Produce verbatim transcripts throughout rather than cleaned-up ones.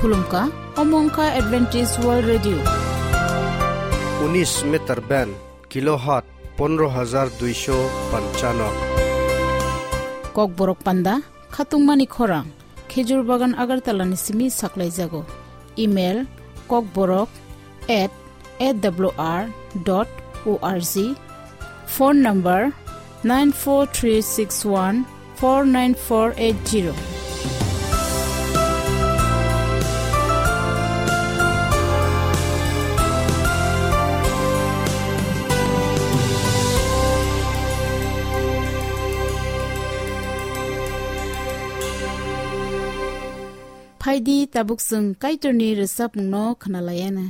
Khulumkha, omo wngkha Adventist World Radio. Unis meter band, kilohertz pondro hajar duisho panchano. Kokborok panda, khatungmani khorang, Khejur Bagan Agartala ni simi saklaijago. Email, kokborok at A W R dot O R G. Phone number nine four three six one four nine four eight zero. Phaidi tabuk chwng Kaitorni rwchapmungno khwnalaiana.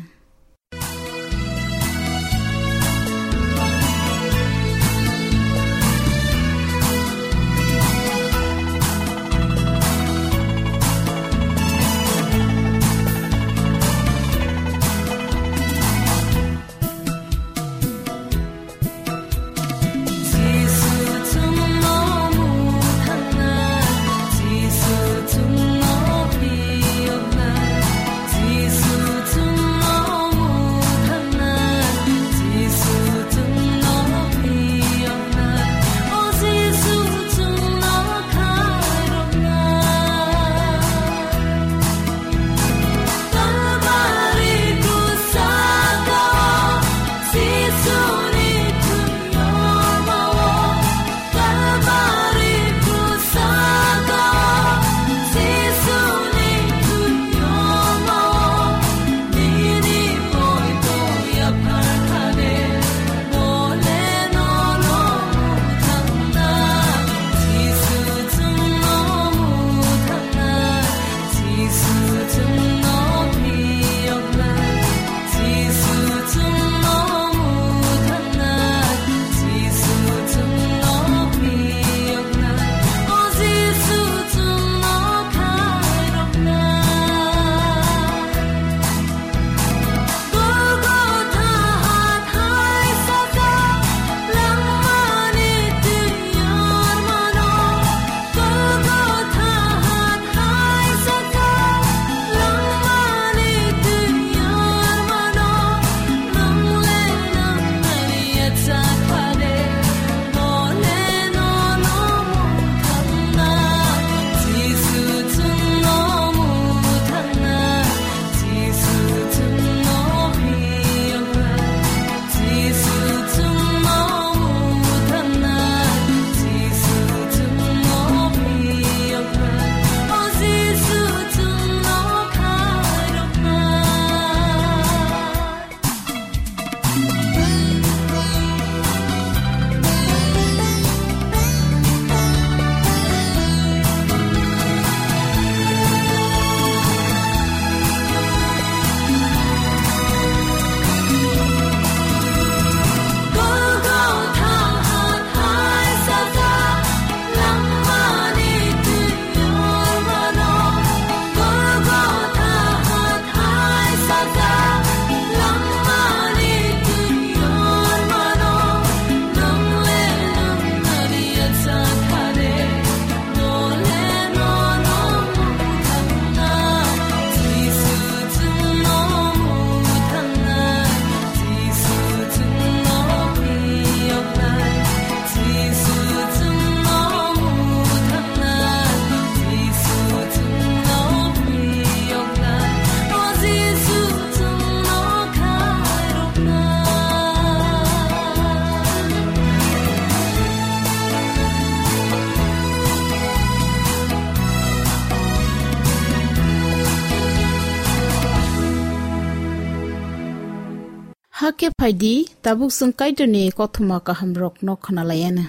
Hakhe phaidi, tabuk chwng Kaitorni kothoma kahamrokno khwnalaiana.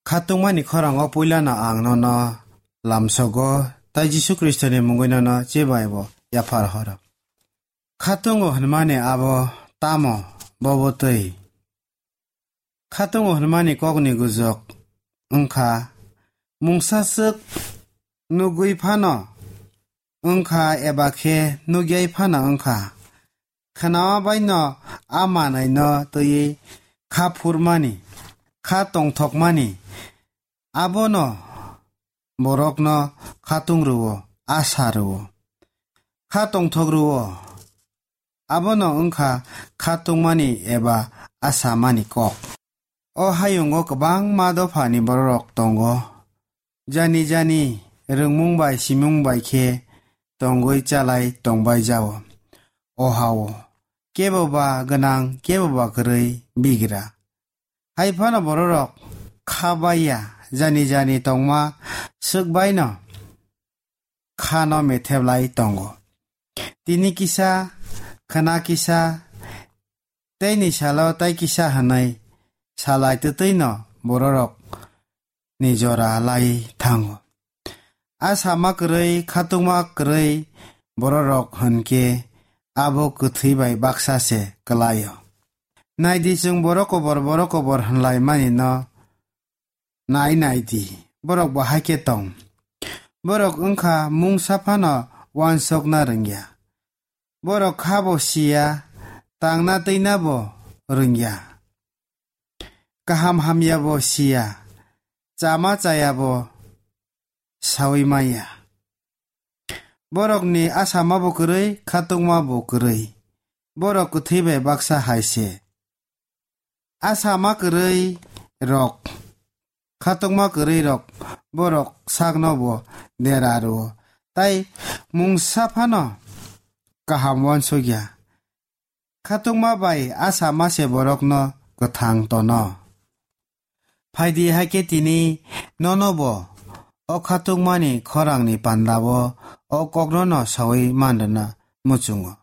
Khatungmani khorango puilano ang nono lamsogo, tai Jisu Khristoni mungwi nono chebaibo yaphar horo. Khatungo hwnmani abo tamo? Bobo twi. Khatungo hwnmani kokni gujok wngkha, mungsa swk nugwi phano wngkha eba khe nugyai phano wngkha. Khwnawa baino a manwino twiwi kha phurmani, kha tongthokmani, abono borokno khatung rwo, asa rwo. kha tongthok rwo. Abono wngkha kha tungmani eba a samani kok. O hayungo kwbangma dophani bororok tongo. Jani jani rwngmung bai simung bai khe tongwi chalai tongbai jao. O hao kebo ba gwnang, kebo ba kwrwi bigra. Hai phano bororok kha bai ya, jani jani tongma swk baino khano metheblai tongo. Tini kisa, khwna kisa, teini salo tai kisa hwnwi salai twtwino bororok ni jora lai thango. A sama kwrwi, khatungma kwrwi bororok hwnkhe abo kwthwi bai baksa se kwlaio. Naidi, chwng borok kobor, borok kobor hwnlai mani no nai nai di, borok bo hai khe tong. Borok wngkha mungsa phano uansukna rwngya. Borok kha bo siya, tangna twina bo rwngya. Kaham hamya bo siya, chama chaya bo saui manya. Borokni asama bo kwrwi, khatungma bo kwrwi. Borok kwthwi bai baksa hai se. Asama kwrwi rok, khatungma kwrwi rok, borok sakno bo dera rwo. Tai mungsa phano kaham uansukya. Khatungma bai asama se borokno kwthang tono. Phaidi hai khe tini nono bo o khatungmani khorangni pandao o kokno no saui manrwna muchungo.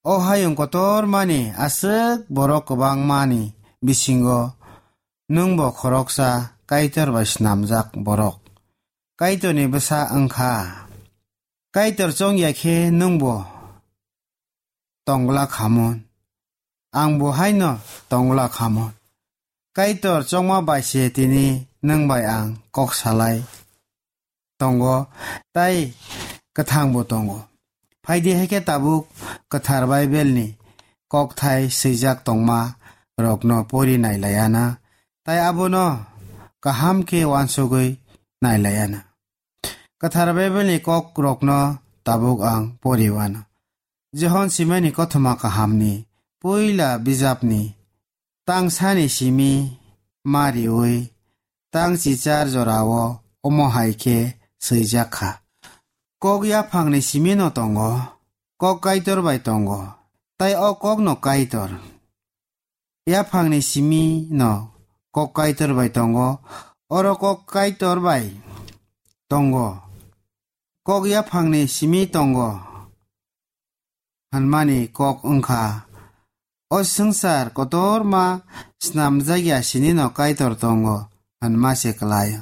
O hayung kotor mani aswk borok kwbangmani bisingo nwng bo khoroksa Kaitor bai snamjak borok. Kaitorni bwsa wngkha. Kaitor chongya khe nwng bo tongla khamun. Ang bo haino tongla khamun. Kaitor chongma bai se tini nwng bai ang kok salai tongo, tai kwthang bo tongo. Phaidi hai khe tabuk kwthar Bible ni kokthai swijak tongma rokno pori nailaiana, tai abono kaham khe uansugwi nailaiana. Kwthar Bible ni kok rokno tabuk ang pori uano. Johon simani kothoma kahamni puila bijapni tangsani simi ma riui tang chichar jorao omo hai khe swijak kha. Kok yaphangni simino tongo, kok Kaitor bai tongo, tai o kokno Kaitor. Yaphangni simino kok Kaitor bai tongo, oro kok Kaitor bai tongo. Kok yaphangni simi tongo hwnmani kok wngkha, o swngchar kotorma snamjakya sinino Kaitor tongo hwnma se kwlaio.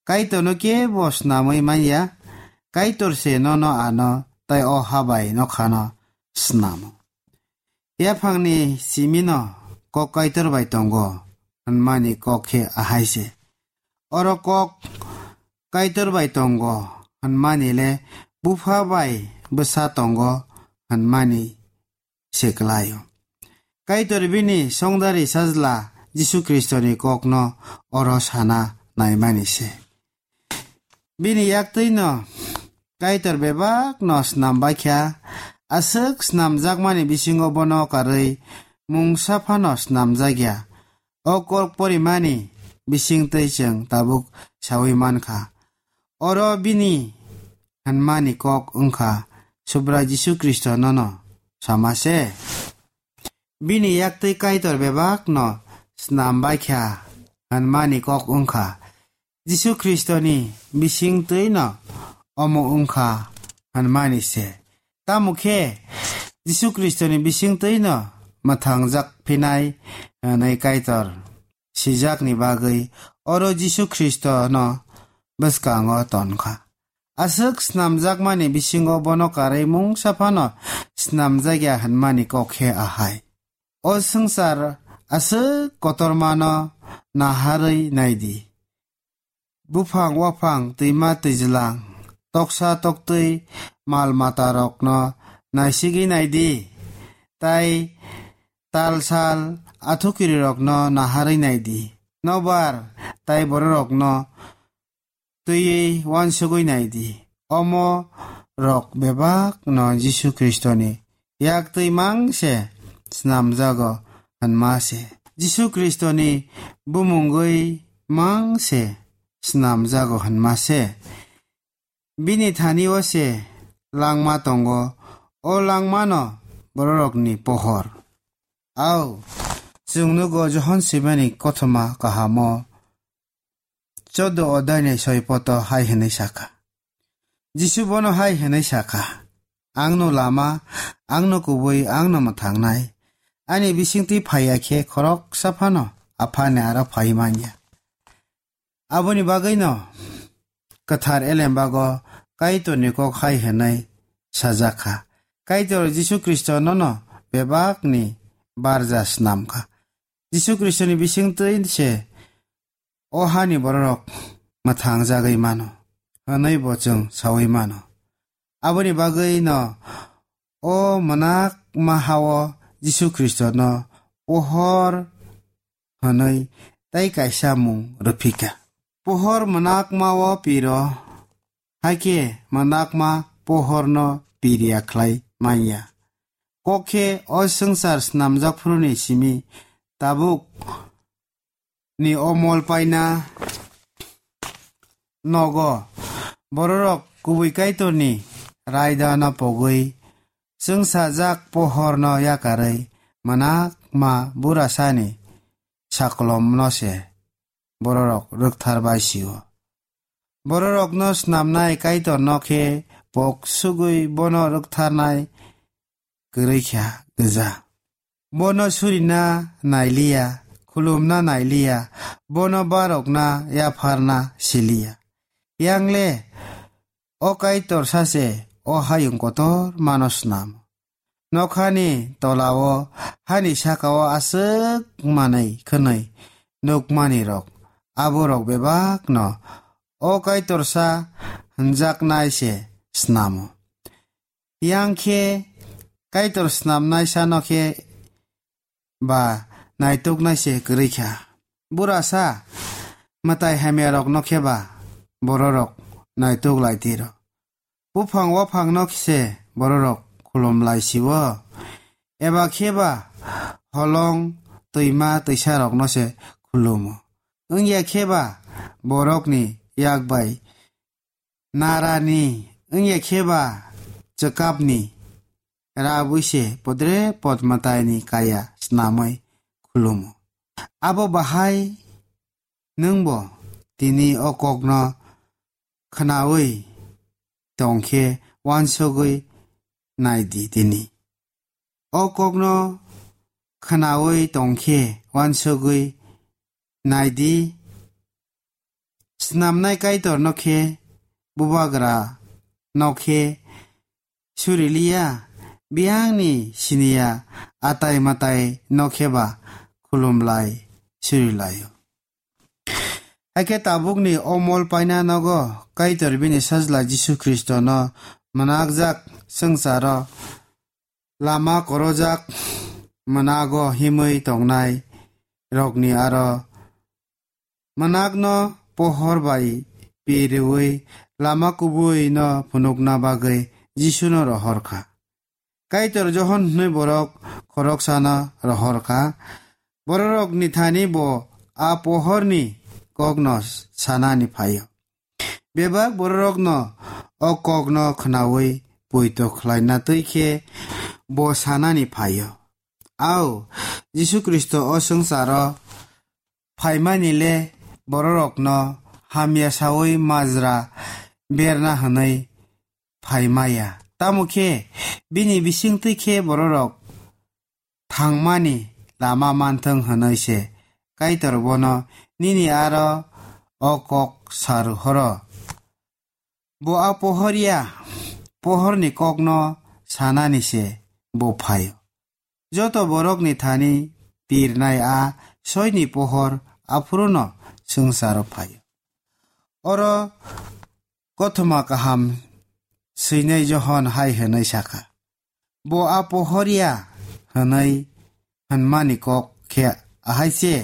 Kaitorno kebo snamwi manya, Kaitor se nono ano tai o ha bai nokhano snamo. Yaphangni simino kok Kaitor bai tongo hwnmani kok khe ahai se. Oro kok Kaitor bai tongo hwnmani le bupha bai bwsa tongo hwnmani se kwlaio. Kaitor bini songdari sajla Jisu Khristoni kokno oro sana naimani se. Bini yaktwino Kaitor bebakno snam baikha, aswk snamjakmani bisingo bono karwi mungsa phano snamjakya. O kok porimani bisingtwi chwng tabuk saui mankha. Oro bini hwnmani kok wngkha Subrai Jisu Khristo nono sama se. Bini yaktwi Kaitor bebakno snam baikha hwnmani kok wngkha Jisu Khristoni bisingtwino omo wngkha hwnmani se. Tamo khe Jisu Khristoni bisingtwino mwthangjak phinai hwnwi Kaitor sijakni bagwi oro Jisu Khristono bwskango tonkha. Aswk snamjakmani bisingo bono karwi mungsa phano snamjakya hwnmani kok khe ahai. O swngchar aswk kotormano naharwi naidi. Buphang waphang, twima twijlang, toksa toktwi mal matarokno naisigwi naidi, tai tal sal athukirirokno naharwi naidi, nobar tai bororokno twiwi uansugwi naidi. Omo rok bebak no Jisu Khristo ni yak twi mang se snamjago hwnma se. Jisu Khristo ni bumungwi mang se snamjago hwnma se. Bini thani o se langma tongo, o langma no bororok ni pohor. Au, chwng nugo Johon Sibani kothoma kahamo choddo odai ni soi poto hai hwnwi sakha. Jisu bono hai hwnwi sakha, "Ang no lama, ang no kubui, ang no mwthangnai. Ani bisingtwi phaiya khe khoroksa phano Apha ni aro phai manya." Aboni bagwi no kwthar elembago Kaitor ni kok hai hwnwi sajak kha. Kaitor Jisu Khristo no no bebak ni barja snam kha. Jisu Khristo ni bisingtwi se o hani bororok mwthang jagwi mano, hwnwi bo chwng saui mano. Aboni bagwi no o mwnakma hao Jisu Khristo no pohor hwnwi tei kaisa mung rwphika. Pohor mwnakma o piro, hakhe mwnakma pohor no piriya khlai manya. Kok khe o swngchar snamjak phuru ni simi tabuk ni o mol paina nogo bororok kubui Kaitor ni raida no pogwi chwngsajak pohor no yakarwi mwnakma burasani sakolom no se bororok rwkthar bai sio. Bororok no snamnai Kaitor no khe pok sugwi bono rwktharnai kwrwi kha gwja. Bono surina nailiya, khulumna nailiya, bono barokna yapharna siliya. Yangle o Kaitor sase o hayung kotor mano snamo. Nokhani tolao hani sakao aswk manwi khwnwi nukmani rok, aborok bebakno o Kaitorsa hwnjaknai se snamo. Yang khe Kaitor snamnaisa no khe ba naituknai se kwrwi kha. Burasa mwtai hamya rok no khe ba bororok naituk lai tiro. Buphang waphang no se bororok khulum lai sio. Eba khe ba holong twima twisa rok no se khulumo. Wngya khe ba borokni yak bai narani, wngya khe ba chwkapni rabwi se podre pod mwtaini kaya snamwi khulumo. Abo bahai nwngbo tini o kokno khwnawi tong khe uansugwi nai di tini. O kokno khwnawi tong khe uansugwi nai di. Snamnai Kaitor no khe, bubagra no khe suri liya, biyangni siniya atai matai no khe ba khulum lai suri laio. Hakhe tabukni o mol paina nogo Kaitor bini sajla Jisu Khristo no mwnakjak swngcharo lama korojak mwnago himwi tongnai rokni aro mwnakno pohor bai piriwi lama kubui no phunukna bagwi Jisu no rohor kha. Kaitor Johon hwnwi borok khoroksano rohor kha. Bororokni thani bo a pohorni kokno sanani phaio. Bebak bororokno o kokno khwnawi poito khlaina twi khe bo sanani phaio. Au, Jisu Khristo o swngcharo phaimani le bororokno hamya saui majra berna hwnwi phaimaya. Tamo khe bini bisingtwi khe bororok thangmani lama manthwng hwnwi se Kaitor bono nini aro o kok sa rw horo. Bo a pohor ya, pohorni kokno sanani se bo phaio. Joto borokni thani pirnai a soini pohor aphuruno swngcharo phaio. Oro kothoma kaham swinai Johon hai hwnwi sakha, "Bo a pohor ya," hwnwi hwnmani kok khe ahai se,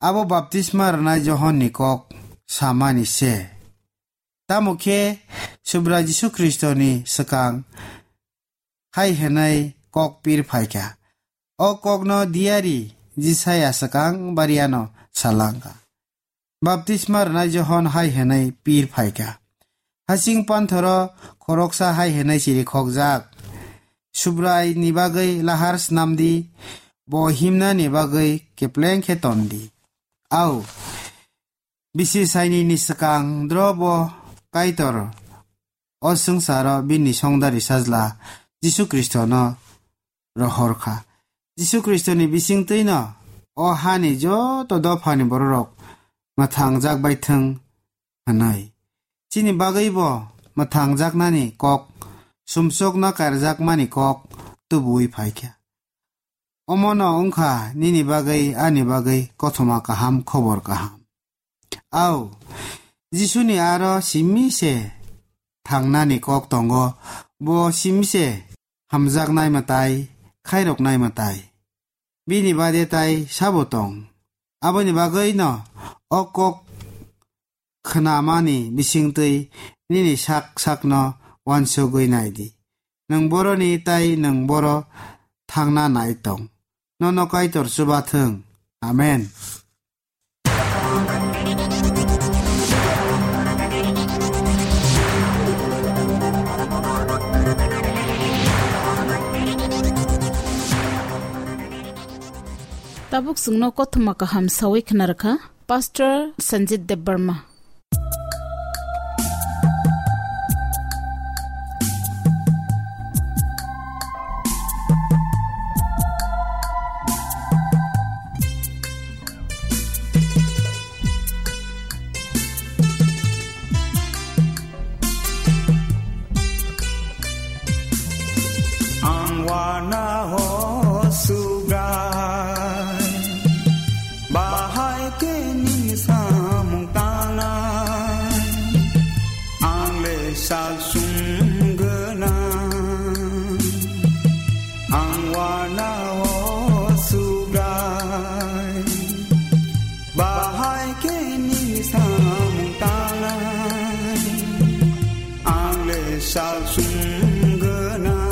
abo baptisma rwnai Johonni kok samani se. Tamo khe Subrai Jisu Khristoni swkang hai hwnwi kok pir phaikha. O kokno diyari Jisaya swkang bariano salangkha. Baptisma rwnai Johon hai hwnwi pir phaikha. Hasing panthoro khoroksa hai hwnwi chirikhokjak, Subraini bagwi lahar snamdi, bo himnani bagwi kepleng khe tondi. Au, bisi sainini swkang dro bo Kaitor o swngcharo bini songdari sajla Jisu Khristono rohor kha. Jisu Khristoni bisingtwino o hani joto dophani bororok mwthangjak bai thwng hwnwi. Chini bagwibo mwthangjaknani kok, sumsokno karjakmani kok tubuwi phaikha. Omono wngkha nini bagwi, ani bagwi kothoma kaham, khobor kaham. Au, Jisuni aro simi se thangnani kok tongo, bo simi se hamjaknai mwtai, khairoknai mwtai. Bini bade tai sabo tong? Aboni bagwino o kok khnamani bisingtwi nini sak sakno uansugwi nai di. Nwng boroni tai nwng boro thangna nai tong. Nono Kaitor chuba thung. Amen. Tabuk chwngno kothoma kaham sawi khwnarwkha Pastor Sanjit Debbarma. Ang wana ho Subrai, bahai khe nini samung tangnai. Ang le sal sum gwnang, ang wana ho Subrai. Bahai khe nini samung tangnai, ang le sal sum gwnang.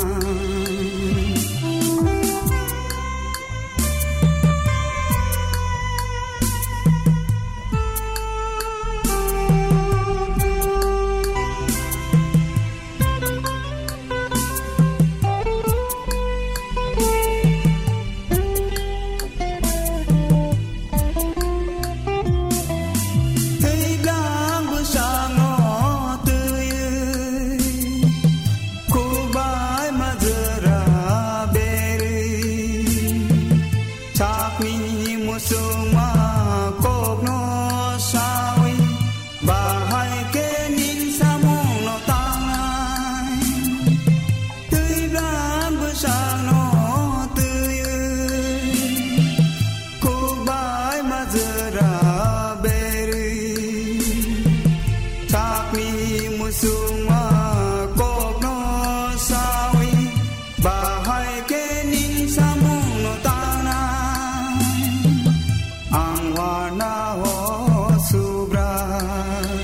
Tei bwskango twi khuk bai majra berwi, sakni muchungma kokno sawi, bahai khe nini samungno tangnai. Twi bwskango twi khuk bai majra berwi, sakni muchungma kokno sawi, bahai khe nini samungno tangnai. Ang wana ho Subrai,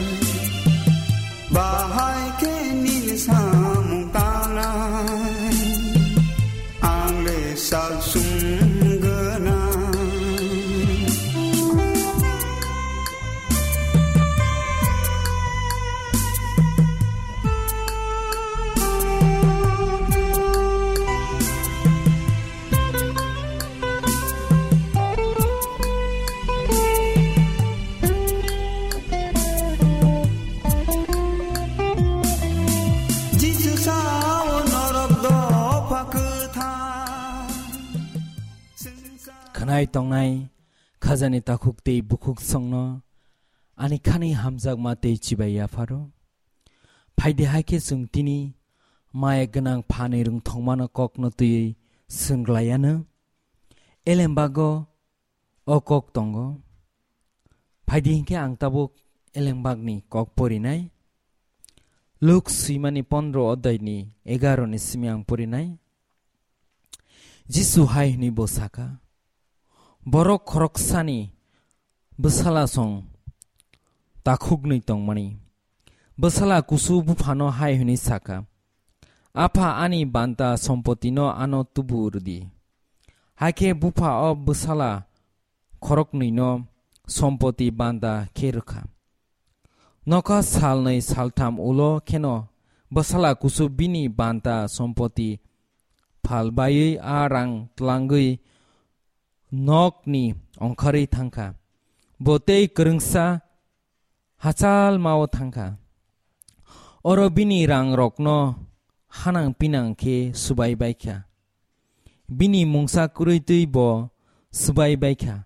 bahai khe nini samung tangnai, ang le sal sum gwnang. Jisu sao norok dopha kwthar. Khwnai tongnai khajani takhuk tei bukhuk songno ani khani hamjakma tei chibai yapharo. Phaidi hai khe chwng tini maya gwnang phanwi rwngthokmano kokno twiwi swnglaiyano. Elembago o kok tongo. Phaidi hinkhe ang tabuk elembakni kok porinai. Luk swimani pondro odhaini egaroni simi ang porinai. Jisu hai hwnwi bo saka, "Borok khoroksani bwsala song takhuknwi tongmani. Bwsala kusu buphano hai hwnwi sa kha, "Apha, ani banta sompotino ano tubu rw di." Hakhe bupha o bwsala khoroknwino sompoti banta khe rw kha. Nokha salnwi saltham ulo kheno bwsala kusu bini banta sompoti phal baiwi a rang tlangwi nokni ongkharwi thang kha. Bo tei kwrwngsa hachal mao thang kha. Oro bini rangrokno hanang pinang khe swbai bai kha. Bini mungsa kwrwi twi bo swbai bai kha.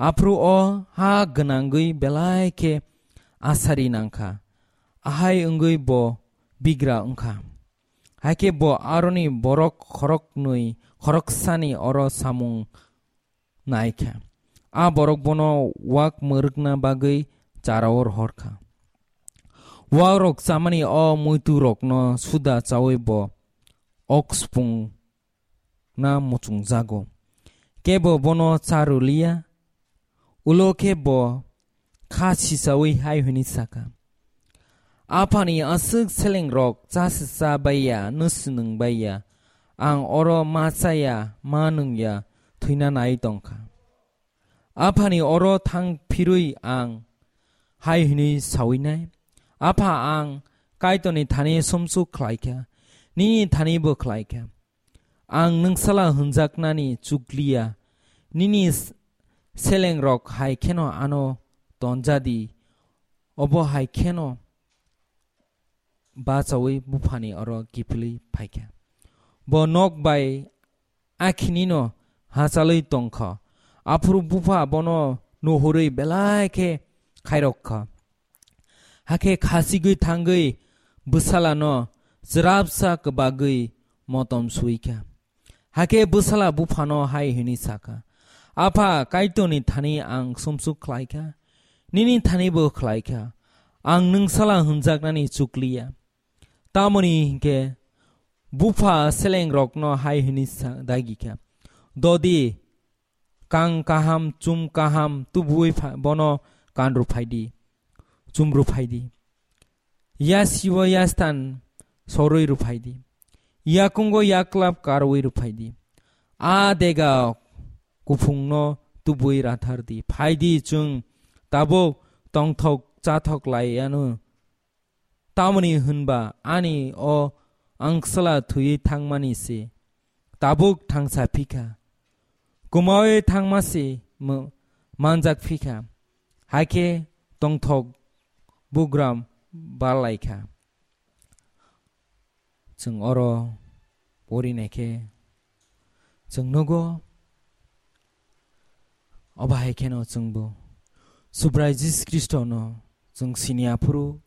Aphuru o ha gwnangwi belai khe asari nang kha. Ahai wngwi bo bigra wng kha. Hakhe bo aroni borok khoroknwi khoroksani oro samung nai kha. A borok bono wak mwrwkna bagwi chara-o rohor kha. Wakrok chamani o muiturokno suda chaui bo ok supungna muchungjago. Kebo bono cha rw liya. Ulo khe bo kha sisaui hai hwnwi sa kha, "Aphani aswk selengrok cha se cha bai ya, nw swnwng bai ya, ang oro ma cha ya, ma nung ya, thwina nai tong kha. Aphani oro thang phirwi ang hai hwnwi saui nai, 'Apha, ang Kaitorni thani sumsok khlai kha, nini thani bo khlai kha.' Ang nwngsala hwnjaknani chukliya, nini s-, selengrok hai kheno ano tonjadi, obo hai kheno bachaui buphani oro kiphilwi phaikha. Bo nok bai akhinino hachalwi tongkha. Aphuru bupha bono nuhurwi belai khe khairok kha. Hakhe khasigwi thangwi bwsalano chwrapsa kwbagwi motom sui kha. Hakhe bwsala buphano hai hwnwi sa kha, 'Apha, Kaitorni thani ang sumsok khlai kha, nini thani bo khlai kha, ang nwngsala hwnjaknani chukliya.' Tamoni hinkhe bupha selengrokno hai hwnwi sa-, dagi kha, 'Dodi, kang kaham, chum kaham tubuwi pha-, bono kanrw phai di, chumrw phai di. Yasibo yastan sorwi rw phai di. Yakungo yaklap karwi rw phai di. A dega kuphungno tubuwi rathar di. Phai di, chwng tabuk tongthok chathok lai anw. Tamoni hwnba ani o angsala thwiwi thangmani se tabuk thangsa phi kha, kumaui thangma se mo-, manjak phi kha, hakhe tongthok bugram bal lai kha." Chwng oro porinai khe chwng nugo, obo hai kheno chwngbo Subrai Jisu Khristono chwng sini aphuru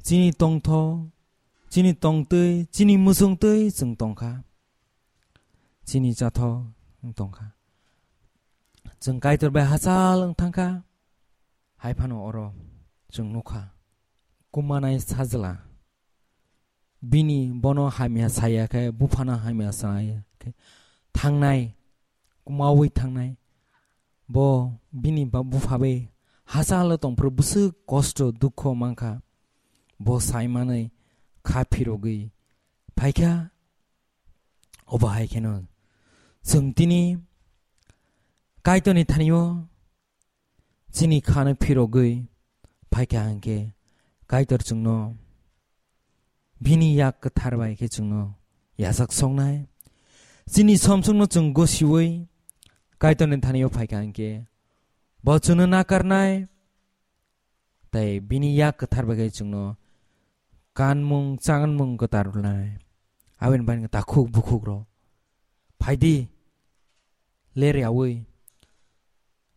chini tongthok, chini tongtwi, chini muchungtwi chwng tongkha. Chini chathok wng tongkha. Chwng Kaitor bai hachal wng thangkha. Hai phano oro chwng nukha, kumanai sajla bini bono hamya saya khe, buphano hamya saya khe thangnai, kumaui thangnai. Bo bini ba-, bupha bai hachalo tongphuru bwswk kosto dukho mankha. Bo saimanwi kha phirogwi phaikha. Obo hai kheno chwng tini Kaitorni thanio chini khano phirogwi phaikha hinkhe Kaitor chwngno bini yak kwthar bai khe chwngno yachak soknai. Chini somsokno chwng gosiui Kaitorni thanio phaikha hinkhe bo chwngno nakarnai, tei bini yak kwthar bai khe chwngno kanmung chanmung kwthar rwnai. Aboni bagwi takhuk bukhuk rok, phaidi, ler yaui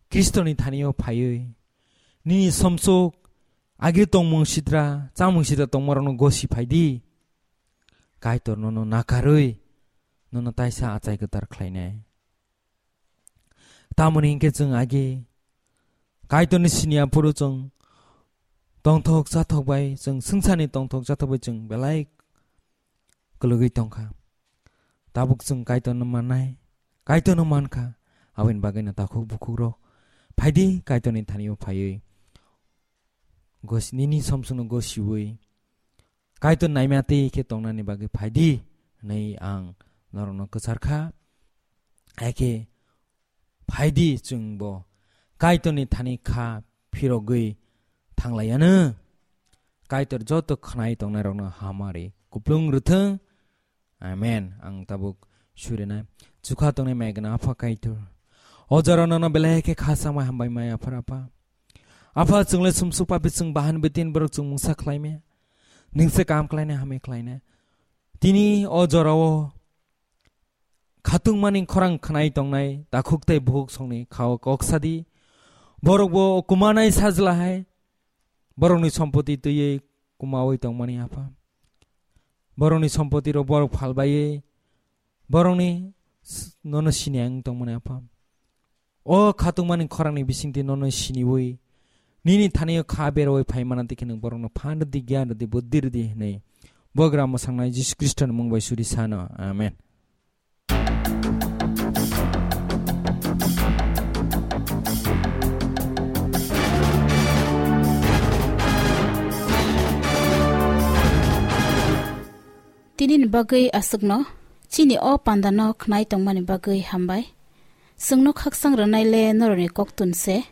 Khristoni thanio phaiwi nini somsok agi tongmung sitra, chamung sitra tongmarokno gosi phaidi. Kaitor nono nakarwi nono taisa achai kwthar khlainai. Tamoni hinkhe chwng agi Kaitorni sini aphuru chwng tongthok chathok bai, chwng swngcharni tongthok chathok bai chwng belai kwlwgwi tongkha. Tabuk chwng Kaitorno mannai, Kaitorno mankha, aboni bagwino takhuk bukhukrok phaidi Kaitorni thanio phaiwi gosi, nini somsokno gosiwi Kaitor naimati khe tongnani bagwi phaidi hwnwi ang norokno kwcharkha. Haikhe phaidi chwngbo Kaitorni thani kha phirogwi thanglaiyanw. Kaitor joto khwnai tongnairokno hamari kuplung rwthwng. Amen. Ang tabuk surinai. Chukha tongnai mai gwnang Apha Kaitor. O jora nono belai khe kha samai hambai mai Apha Apha. Apha chwngle sumsuk papi chwng bahan bitin borok chwng mungsa khlaimaya. Ningse kam khlaina hamya khlaina. Tini o jorao khatungmani khorang khwnai tongnai takhuk tei bukhuk songni khao kok sadi. Borokbo kumanai sajla hai. Borokni sompoti twiwi kumawi tongmani Apha. Borokni sompoti rok borok phalbaiwi borokni s-, nono sini ang tongmani Apha. O khatungmani khorangni bisingtwi nono siniwi nini thani kha beroi phaimana tei khe nwng borokno phan rwdi, gyan rwdi, buddhi rwdi hwnwi bogra mwsangnai Jisu Khristoni mung bai suri sano. Amen. Tini ni bagwi aswkno, chini o panda no khnai tongmani bagwi hambai. Chwngno khakchang rwnai le norokni koktun se,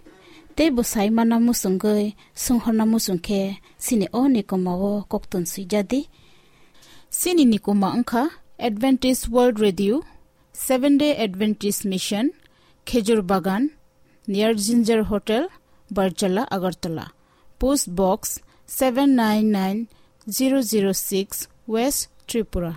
tei bwsai mana muchungwi swnghorna muchung khe chini o nikoma o koktun swijadi. Chini nikoma wngkha Adventist World Radio, Seventh Day Adventist Mission, Khejur Bagan, near Ginger Hotel, Barjala, Agartala. Post Box seven nine nine zero zero six, West Tripura.